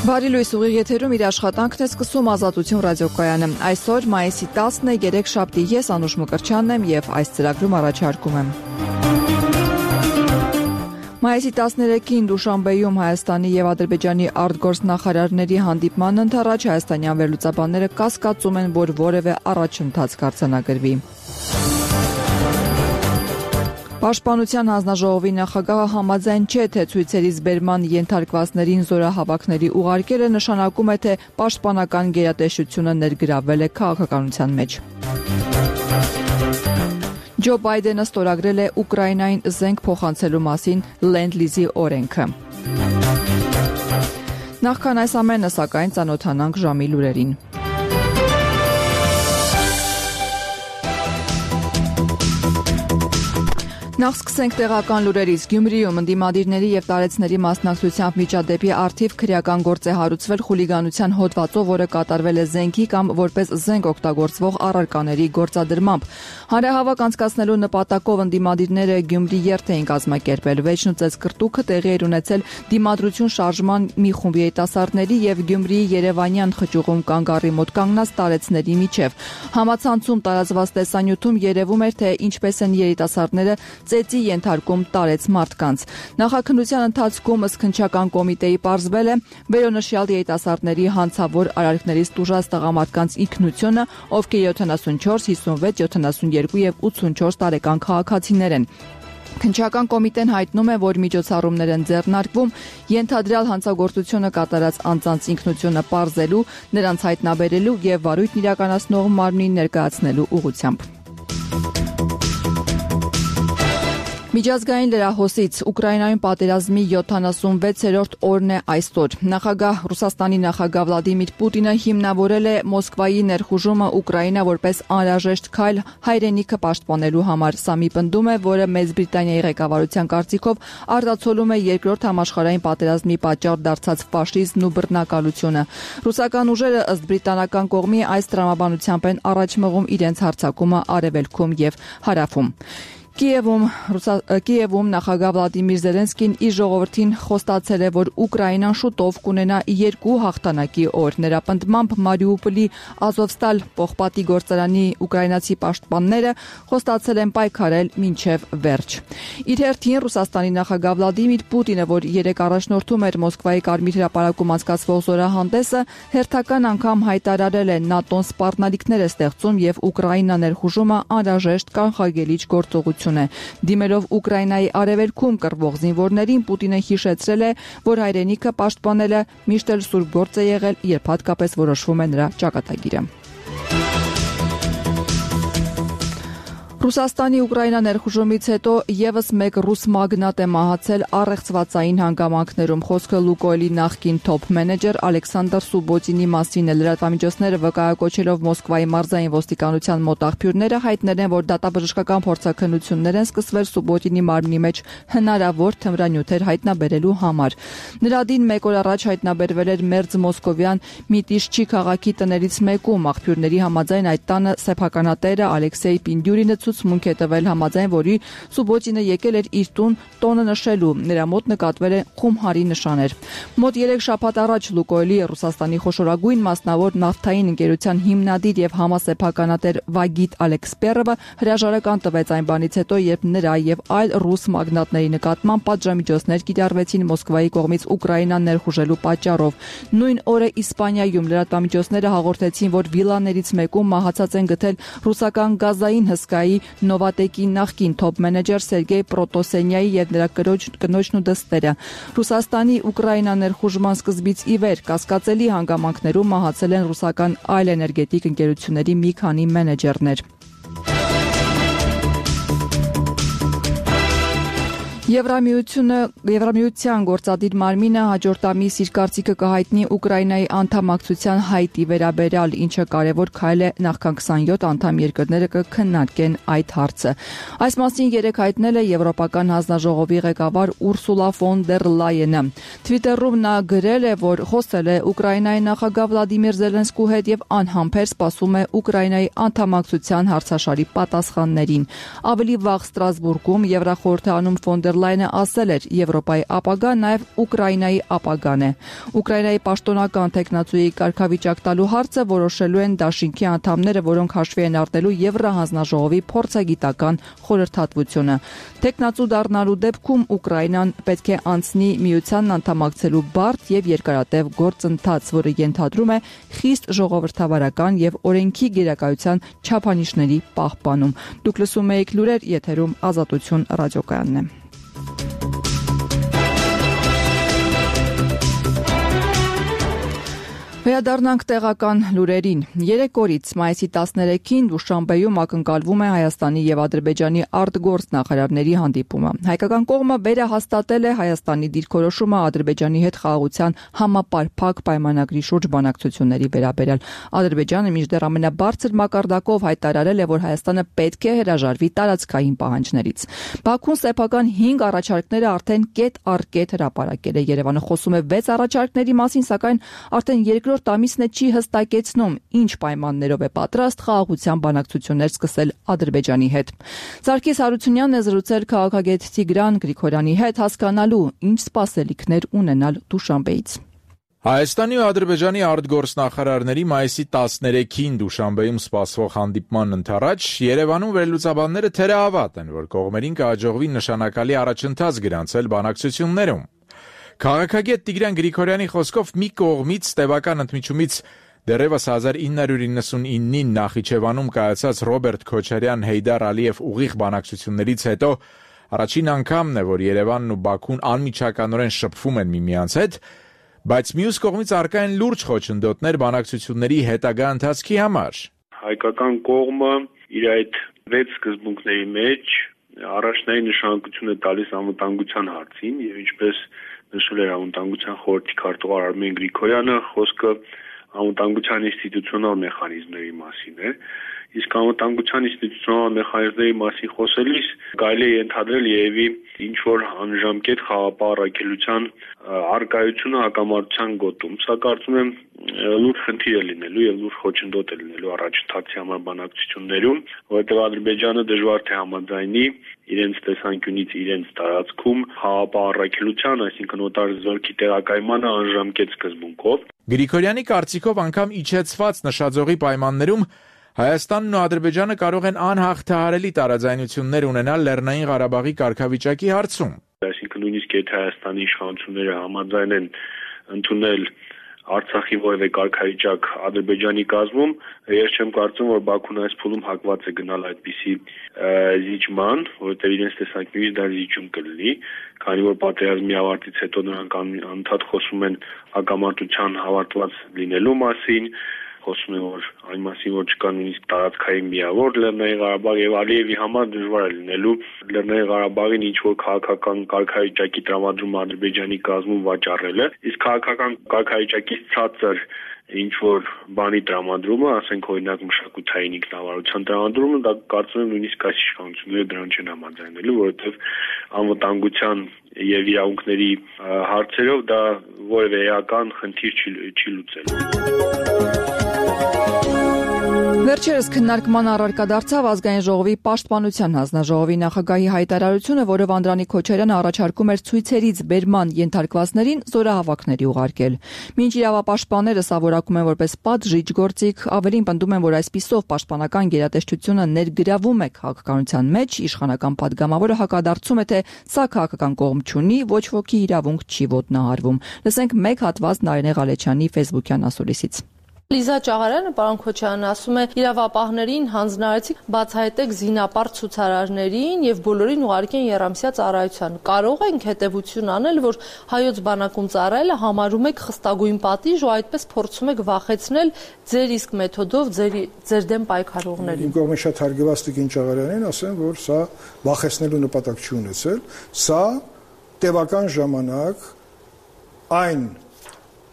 Բարի լույս, ուղիղ եթերում իր աշխատանքն է սկսում Ազատություն ռադիոկայանը։ Այսօր մայիսի 10-ն է, երեքշաբթի, ես Անուշ Մկրտչյանն եմ եւ այս ծրագրում առաջարկում եմ։ Մայիսի 13-ին Դուշանբեում Հայաստանի եւ Ադրբեջանի արտգործնախարարների հանդիպման ընթառաջ հայաստանյան վերլուծաբանները կասկածում են, որ որևէ առաջընթաց կարձանագրվի։ Պաշտպանության հանձնաժողովի նախագահը համաձայն չէ, թե ցույցերից բերման ենթարկվածներին զորահավաքների ուղարկելը նշանակում է, թե պաշտպանական գերատեսչությունը ներգրավվել է քաղաքականության մեջ։ Ջո Բայդենը ստորագրել է Ուկրաինային զենք փոխանցելու մասին Լենդ-լիզի օրենքը։ Նախքան այս ամենը, սակայն, ծանոթանանք ժամի լուրերին։ Նախ սկսենք տեղական լուրերից։ Գյումրիում ընդդիմադիրների եւ տարեցների մասնակցությամբ միջադեպի առթիվ քրեական գործ է հարուցվել խուլիգանության հոդվածով, որը կատարվել է զենքի կամ որպես զենք օգտագործվող առարկաների գործադրմամբ։ Հանրահավաք անցկացնելու նպատակով ընդդիմադիրները Գյումրի երթ էին կազմակերպել։ Վեճն ու ծեծկռտուքը տեղի էր ունեցել Դիմադրություն շարժման մի խումբ երիտասարդների եւ Գյումրիի Երևանյան խճուղում կանգառի մոտ կանգնած տարեցների միջև։ Համացանցում տարածված տեսանյութում երևում էր, թե ինչպես են երիտասարդները ծեծի ենթարկում տարեց մարդկանց։ Նախաքննության ընթացքում ըստ կոմիտեի պարզվել է վերոնշյալ երիտասարդների հանցավոր արարքներից տուժած տղամարդկանց ինքնությունը, ովքեր 74, 56, 72 եւ 84 տարեկան քաղաքացիներ են։ Քննչական կոմիտեն հայտնում է, որ միջոցառումներ են ձեռնարկվում ենթադրյալ հանցագործությունը կատարած անձանց ինքնությունը պարզելու, նրանց հայտնաբերելու եւ վարույթն իրականացնող մարմնին ներկայացնելու ուղղությամբ։ Միջազգային լրահոսից Ուկրաինայում պատերազմի 76-րդ օրն է այսօր։ Ռուսաստանի նախագահ Վլադիմիր Պուտինը հիմնավորել է Մոսկվայի ներխուժումը Ուկրաինա որպես անհրաժեշտ քայլ հայրենիքը պաշտպանելու համար։ Սա մի պնդում է, որը Մեծ Բրիտանիայի ղեկավարության կարծիքով արտացոլում է երկրորդ համաշխարհային պատերազմի պատճառ դարձած ֆաշիզմն ու բռնակալությունը։ Ռուսական ուժերը ըստ բրիտանական կողմի այս տրամաբանությամբ են առաջ մղում իրենց հարձակումը արևելքում եւ հարավում։ Կիևում նախագահ Վլադիմիր Զելենսկին իր ժողովրդին խոստացել է, որ Ուկրաինան շուտով կունենա երկու հաղթանակի օր։ Նրա պնդմամբ Մարիուպոլի Ազովստալ պողպատի գործարանի ուկրաինացի պաշտպանները խոստացել են պայքարել մինչև վերջ։ Իր հերթին Ռուսաստանի նախագահ Վլադիմիր Պուտինը, որ երեկ առաջնորդում էր Մոսկվայի Կարմիր հրապարակում անցկացվող զորահանդեսը, հերթական անգամ հայտարարել է ՆԱՏՕ-ն սպառնալիքներ է ստեղծում եւ Ուկրաինա ներխուժումը անհրաժեշտ կանխարգելիչ գործողություն։ Դիմելով Ուկրաինայի արևելքում կռվող զինվորներին, Պուտինը հիշեցրել է, որ հայրենիքը պաշտպանելը միշտ էլ սուրբ գործ է եղել, երբ հատկապես որոշվում է նրա ճակատագիրը։ Ռուսաստանի Ուկրաինա ներխուժումից հետո եւս մեկ ռուս մագնատ է մահացել առեղծվածային հանգամանքներում։ Խոսքը Լուկոյլի նախկին թոփ մենեջեր Ալեքսանդր Սուբոտինի մասին է։ Լրատվամիջոցները վկայակոչելով Մոսկվայի մարզային ոստիկանության մոտ աղբյուրները հայտնել են, որ դատաբժշկական փորձաքննություններ են սկսվել Սուբոտինի մարմնի մեջ հնարավոր թմրանյութեր հայտնաբերելու համար։ Նրա դին մեկ օր առաջ հայտնաբերվել էր Մերձ Մոսկովյան Միտիշչի քաղաքի տներից մեկում։ Աղբյուրների համաձայն այդ տանը սեփականատերը Ալեքսեյ Պինդյուրինը ցուցմունք է տվել, համաձայն որի Սուբոտինը եկել էր իր տոնը նշելու։ Նրա մոտ նկատվել է խումհարի նշաներ։ Մոտ 3 շաբաթ առաջ Լուկոյլի Ռուսաստանի խոշորագույն մասնավոր նավթային ընկերության հիմնադիր եւ համասեփականատեր Վագիտ Ալեքսպերովը հրաժարական տվեց այն բանից հետո, երբ նրա եւ այլ ռուս մագնատների նկատմամբ պատժամիջոցներ կիրառվեցին Մոսկվայի կողմից Ուկրաինան ներխուժելու պատճառով։ Նույն օրը Իսպանիայում լրատվամիջոցները հաղորդեցին, որ վիլաներից մեկում մահացած են գտել ռուսական գազային հսկայի Նովատեկի նախկին թոփ մենեջեր Սերգեյ Պրոտոսենյայի եւ նրա կնոջն ու դստերը։ Ռուսաստանի Ուկրաինա ներխուժման սկզբից ի վեր կասկածելի հանգամանքներում մահացել են ռուսական այլ էներգետիկ ընկերությունների մի քանի մենեջերներ։ Եվրամիության գործադիր մարմինը հաջորդ ամիս իր կարծիքը կհայտնի Ուկրաինայի անդամակցության հայտի վերաբերյալ, ինչը կարևոր քայլ է, նախքան 27 անդամ երկրները կքննարկեն այդ հարցը։ Այս մասին երեկ հայտնել է Եվրոպական հանձնաժողովի ղեկավար Ուրսուլա ֆոն դեր Լայենը։ Թվիտերում նա գրել է, որ խոսել է Ուկրաինայի նախագահ Վլադիմիր Զելենսկու հետ եւ անհամբեր սպասում է Ուկրաինայի անդամակցության հարցաշարի պատասխաններին։ Ավելի վաղ Ստրասբուրգում Եվրախորհրդարանում ֆոն դեր դեր Լայնը ասել էր, Եվրոպայի ապագան նաև Ուկրաինայի ապագան է։ Ուկրաինայի պաշտոնական տեխնացուի կարգավիճակ տալու հարցը որոշելու են դաշինքի անդամները, որոնք հաշվի են առնելու Եվրահանձնաժողովի փորձագիտական խորհրդատվությունը։ Տեխնացու դառնալու դեպքում Ուկրաինան պետք է անցնի միությանն անդամակցելու բարդ եւ երկարատև գործընթաց, որը ենթադրում է խիստ ժողովրդավարական եւ օրենքի գերակայության չափանիշների պահպանում։ Դուք լսում եք լուրեր, եթերում Ազատություն ռադիոկայանն է։ Վերադառնանք տեղական լուրերին։ 3 օրից մայիսի 13-ին Դուշանբեում ակնկալվում է Հայաստանի եւ Ադրբեջանի արտգործ նախարարների հանդիպումը։ Հայկական կողմը վերահաստատել է Հայաստանի դիրքորոշումը Ադրբեջանի հետ խաղաղության համապարփակ պայմանագրի շուրջ բանակցությունների վերաբերյալ։ Ադրբեջանը մինչդեռ ամենաբարձր մակարդակով հայտարարել է, որ Հայաստանը պետք է հրաժարվի տարածքային պահանջներից։ Բաքուն սեփական 5 առաջարկները արդեն կետ առ կետ հրապարակել է։ Երևանը խոսում է 6 առաջարկների մասին, սակայն արդեն երկրորդ ամիսն է չի հստակեցնում, ինչ պայմաններով է պատրաստ խաղաղության բանակցություններ սկսել Ադրբեջանի հետ։ Սարգիս Հարությունյանն է զրուցել քաղաքագետ Տիգրան Գրիգորյանի հետ, հասկանալու ինչ սպասելիքներ ունենալ Դուշանբեից։ Հայաստանի ու Ադրբեջանի արտգործնախարարների մայիսի 13-ին Դուշանբեում սպասվող հանդիպման ընդառաջ Երևանում վերլուծաբանները թերահավատ են, որ կողմերին կհաջողվի նշանակալի առաջընթաց գրանցել բանակցություններում։ Քաղաքագետ Տիգրան Գրիգորյանի խոսքով մի կողմից տևական ընդմիջումից դեռևս 1999-ին Նախիջևանում կայացած Ռոբերտ Քոչարյան-Հեյդար Ալիև ուղիղ բանակցություններից հետո առաջին անգամն է, որ Երևանն ու Բաքուն անմիջականորեն շփվում են միմյանց հետ, բայց մյուս կողմից առկա են լուրջ խոչընդոտներ բանակցությունների հետագա ընթացքի համար։ Հայկական կողմը իր այդ 6 սկզբունքների մեջ առաջնային նշանակություն է տալիս անվտանգության հարցին եւ ինչպես նշել էր անվտանգության խորհրդի քարտուղար Արմեն Գրիգորյանը, խոսքը անվտանգության ինստիտուցիոնալ մեխանիզմների մասին է, իսկ անվտանգության ինստիտուցիոնալ մեխանիզմների մասին խոսելիս կարելի է ենթադրել երևի ինչ-որ անժամկետ խաղապահ առաքելության առկայությունը հակամարտության գոտում։ Սա կարծում եմ լուրջ խնդիր է լինելու եւ լուրջ խոչընդոտ է լինելու առաջընթացի համար բանակցություններում, որովհետեւ Ադրբեջանը դժվար թե համաձայնի իրենց տեսանկյունից իրենց տարածքում խաղապահ առաքելության, այսինքն օտար զորքի տեղակայմանը անժամկետ սկզբունքով։ Գրիգորյանի կարծիքով անգամ իջեցված նշաձողի պայմաններում Հայաստանն ու Ադրբեջանը կարող են անհաղթահարելի տարաձայնություններ ունենալ Լեռնային Ղարաբաղի կարգավիճակի հարցում։ Այսինքն նույնիսկ եթե Հայաստանի իշխանությունները համաձայնեն ընդունել Արցախի որևէ կարգավիճակ Ադրբեջանի կազմում, ես չեմ կարծում, որ Բաքուն այս փուլում հակված է գնալ այդպիսի զիջման, որովհետև իրենց տեսանկյունից դա զիջում կլինի, քանի որ պատերազմի ավարտից հետո նրանք անդադ խոսում են հակամարտության ավարտված լինելու մասին, խոսում են, որ այն մասին, որ չկա նույնիսկ տարածքային միավոր Լեռնային Ղարաբաղ եւ Ալիևի համար դժվար է լինելու Լեռնային Ղարաբաղին ինչ-որ քաղաքական կարգավիճակի տրամադրումը Ադրբեջանի կազմում վաճառելը, իսկ քաղաքական կարգավիճակից ցածր ինչ-որ բանի տրամադրումը, ասենք օրինակ մշակութային ինքնավարության տրամադրումը, դա կարծում եմ նույնիսկ այս իշխանությունները դրան չեն համաձայնելու, որովհետեւ անվտանգության եւ իրավունքների հարցերով դա որևէ էական խնդիր չի լուծելու։ Վերջերս քննարկման առարկա դարձավ Ազգային ժողովի պաշտպանության հանձնաժողովի նախագահի հայտարարությունը, որով Անդրանիկ Քոչարյանը առաջարկում էր ցույցերից բերման ենթարկվածներին զորահավաքների ուղարկել։ Մինչ իրավապաշտպանները սա որակում են որպես պատժիչ գործիք, ավելին պնդում են, որ այսպիսով պաշտպանական գերատեսչությունը ներգրավում է քաղաքականության մեջ, իշխանական падգամավորը հակադարձում է, թե սա քաղաքական կողմ չունի, ոչ ոքի իրավունք չի ոտնահարվում։ Լսենք մեկ հատված Նարինե Ղալեչյանի Facebook-յան ասուլիսից։ Լիզա Ճաղարյանը, պարոն Քոչարյանն ասում է, իրավապահներին հանձնարարեցիք բացահայտեք զինապարտ ցուցարարներին եւ բոլորին ուղարկեն երամսյա ծառայության։ Կարող ենք հետեւություն անել, որ հայոց բանակում ծառայելը համարում եք խստագույն պատիժ ու այդպես փորձում եք վախեցնել ձեր իսկ մեթոդով ձեր դեմ պայքարողներին։ Իմ կողմից շատ հարգված Տիկին Ճաղարյանին ասեմ, որ սա վախեցնելու նպատակ չի ունեցել, սա տևական ժամանակ այն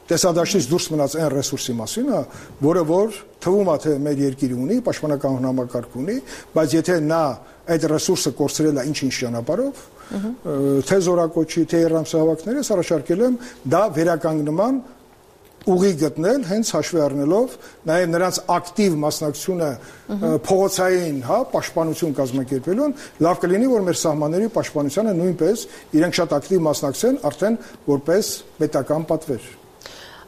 տեսադաշտից դուրս մնաց այն ռեսուրսի մասին, որը որ թվում է թե մեր երկիրը ունի, պաշտպանական համակարգ ունի, բայց եթե նա այդ ռեսուրսը կորցրել է ինչ-ինչ ճանապարհով, թե զորակոչի, թե երամսահավաքներից առաջարկել եմ դա վերականգնման ուղի գտնել հենց հաշվի առնելով նաև նրանց ակտիվ մասնակցությունը փողոցային, պաշտպանություն կազմակերպելուն, լավ կլինի որ մեր սահմանների պաշտպանությանը նույնպես իրենք շատ ակտիվ մասնակցեն արդեն որպես պետական պատվեր։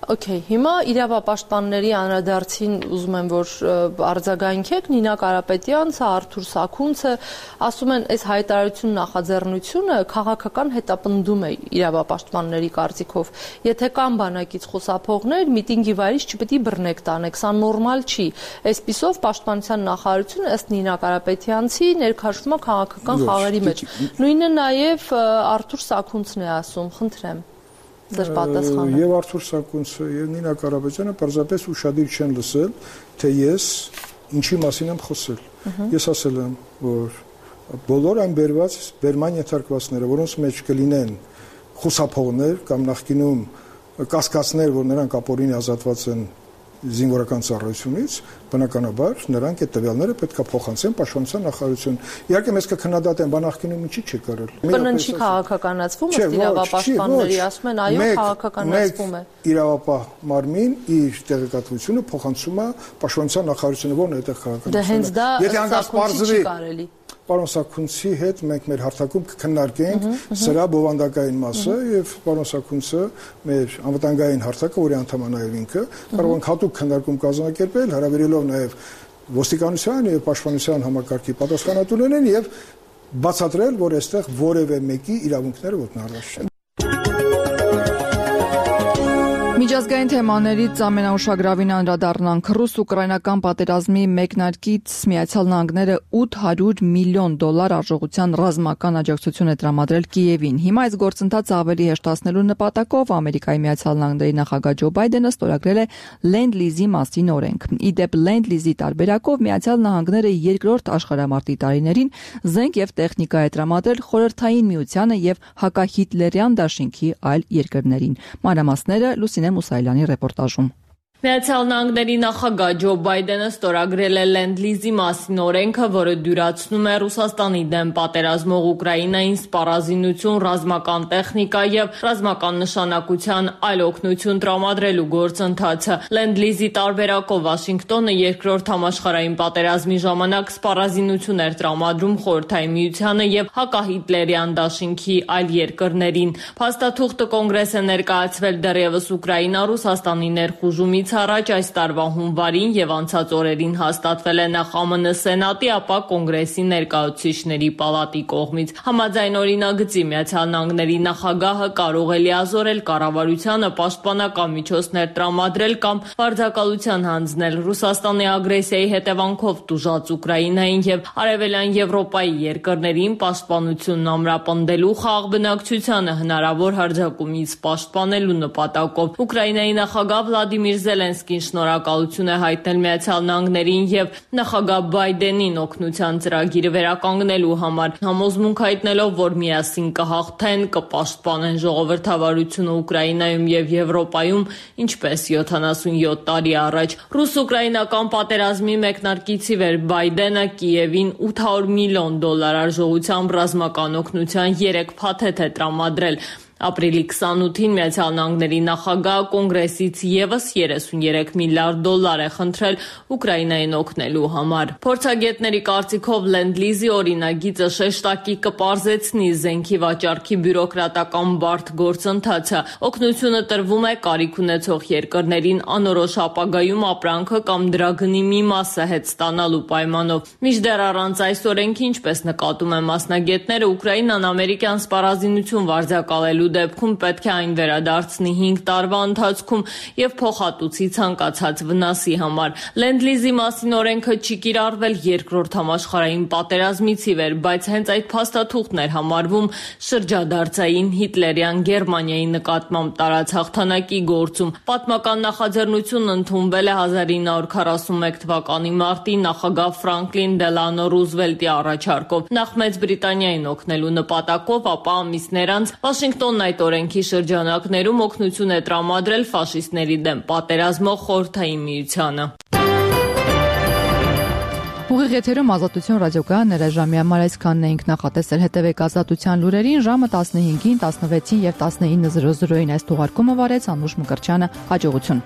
Okay, հիմա իրավապաշտպանների անդրադարձին ուզում եմ որ արձագանքեք Նինա Կարապետյանցը, Արթուր Սաքունցը ասում են այս հայտարարություն նախաձեռնությունը քաղաքական հետապնդում է իրավապաշտպանների կարծիքով։ Եթե կան բանակից խոսափողներ, միտինգի վայրից չպետք է բռնեք տանեք, սա նորմալ չի։ Այսպիսով պաշտպանության նախարարությունը ըստ Նինա Կարապետյանցի ներքաշվում է քաղաքական խաղերի մեջ։ Նույնը նաև Արթուր Սաքունցն է ասում, խնդրեմ։ Եվ Արթուր Սաքունցը եւ Նինա Կարապետյանը պարզապես ուշադիր չեն լսել, թե ես ինչի մասին եմ խոսել։ Ես ասել եմ, որ բոլոր այն բերման ենթարկվածները, որոնց մեջ կլինեն խուսափողներ կամ նախկինում կասկածներ, որ նրանք ապօրինի ազատված են զինվորական ծառայությունից, բնականաբար նրանք այդ տվյալները պետք է փոխանցեն պաշտպանության նախարարություն։ Իհարկե մեզ կքննադատեն, բանակինում ինչի՞ չի կարել։ Բննչի քաղաքականացվում է իրավապաշտպանների ասում են, այո, քաղաքականացվում է։ Իրավապահ մարմին իր տեղեկատվությունը փոխանցում է պաշտպանության նախարարությունը, որն է այդտեղ քաղաքականացումը։ Դե հենց դա Եթե հանկարծ պարզվի կարելի։ Պարոն Սաքունցի հետ մենք մեր հարթակում կքննարկենք սրա բովանդակային մասը եւ պարոն Սաքունցը մեր անվտանգային հարթակը, որի անդամ է նաեւ ինքը, կարող ենք հատուկ քննարկում կազմակերպել, հարաբերելով նաեւ ոստիկանության եւ պաշտպանության համակարգի պատասխանատուներին եւ բացատրել, որ այստեղ որևէ մեկի իրավունքները ոտնահարված չեն։ Միջազգային թեմաներից ամենաուշագրավին անդրադառնանք ռուս-ուկրաինական պատերազմի մեկնարկից Միացյալ Նահանգները $800 միլիոն արժողության ռազմական աջակցություն է տրամադրել Կիևին։ Հիմա այս գործընթացը ավելի հեշտացնելու նպատակով Ամերիկայի Միացյալ Նահանգների նախագահ Ջո Բայդենը ստորագրել է Լենդ-լիզի մասին օրենք։ Իդեպ Լենդ-լիզի տարբերակով Միացյալ Նահանգները երկրորդ աշխարհամարտի տարիներին զենք եւ տեխնիկա է տրամադրել Խորհրդային Միությանը եւ հակահիտլերյան դաշինքի այլ երկրներին։ Մանրամասները Լուսինե Մուսայելյանի ռեպորտաժում։ Միացյալ Նահանգների նախագահ Ջո Բայդենը ստորագրել է Լենդ-լիզի մասին օրենքը, որը դյուրացնում է Ռուսաստանի դեմ պատերազմող Ուկրաինային սպառազինություն, ռազմական տեխնիկա եւ ռազմական նշանակության այլ օգնություն տրամադրելու գործընթացը։ Լենդ-լիզի տարբերակով Վաշինգտոնը երկրորդ համաշխարհային պատերազմի ժամանակ սպառազինություն էր տրամադրում Խորհրդային Միությանը եւ հակահիտլերյան դաշինքի այլ երկրներին։ Փաստաթուղթը կոնգրես է ներկայացվել դեռևս Ուկրաինա-Ռուսաստանի ներխուժումից առաջ այս տարվա հունվարին եւ անցած օրերին հաստատվել է նախ ԱՄՆ Սենատի, ապա Կոնգրեսի ներկայացուցիչների պալատի կողմից։ Համաձայն օրինագծի Միացյալ Նահանգների նախագահը կարող է լիազորել կառավարությանը պաշտպանական միջոցներ տրամադրել կամ վարձակալության հանձնել Ռուսաստանի ագրեսիայի հետևանքով տուժած Ուկրաինային եւ Արևելյան Եվրոպայի երկրներին պաշտպանությունն ամրապնդելու խաղաղ բնակչությանը հնարավոր հարձակումից պաշտպանելու նպատակով։ Ուկրաինայի նախագահ Վլադիմիր Զելենսկին շնորհակալություն է հայտնել Միացյալ Նահանգներին եւ նախագահ Բայդենին օգնության ծրագիրը վերականգնելու համար, համոզմունք հայտնելով, որ միասին կհաղթեն, կպաշտպանեն ժողովրդավարությունը Ուկրաինայում եւ Եվրոպայում, ինչպես 77 տարի առաջ։ Ռուս-ուկրաինական պատերազմի մեկնարկից ի վեր Բայդենը Կիևին $800 միլիոն արժողությամբ ռազմական օգնության 3 փաթեթ է տրամադրել։ Ապրիլի 28-ին Միացյալ Նահանգների նախագահը կոնգրեսից եւս $33 միլիարդ է խնդրել Ուկրաինային օգնելու համար։ Փորձագետների կարծիքով Լենդ-լիզի օրինագիծը շեշտակի կպարզեցնի զենքի վաճառքի բյուրոկրատական բարդ գործընթացը։ Օգնությունը տրվում է կարիք ունեցող երկրներին անորոշ ապագայում ապրանքը կամ դրա գնի մի մասը հետ ստանալու պայմանով։ Մինչդեռ առանց այս օրենքի, ինչպես նկատում են մասնագետները, Ուկրաինան ամերիկյան սպառազինություն վարձակալելու դեպքում պետք է այն վերադարձնի 5 տարվա ընթացքում եւ փոխհատուցի ցանկացած վնասի համար։ Լենդ-լիզի մասին օրենքը չի կիրառվել երկրորդ համաշխարհային պատերազմից ի վեր, բայց հենց այդ փաստաթուղթն էր համարվում շրջադարձային հիտլերյան Գերմանիայի նկատմամբ տարած հաղթանակի գործում։ Պատմական նախաձեռնությունն ընդունվել է 1941 թվականի մարտին նախագահ Ֆրանկլին Դելանո Ռուզվելտի առաջարկով։ Նախ Մեծ Բրիտանիային օգնելու նպատակով, ապա ամիսներ անց Վաշինգտոնն այդ օրենքի շրջանակներում օգնություն է տրամադրել ֆաշիստների դեմ պատերազմող Խորհրդային Միությանը։ Ուղիղ եթերում Ազատություն ռադիոկայան ներաժամի համար այսքանն էինք նախատեսել, հետևեք Ազատության լուրերին ժամը 15-ին, 16-ին եւ 19:00-ին այս թողարկումը վարեց Անուշ Մկրտչյանը, հաջողություն։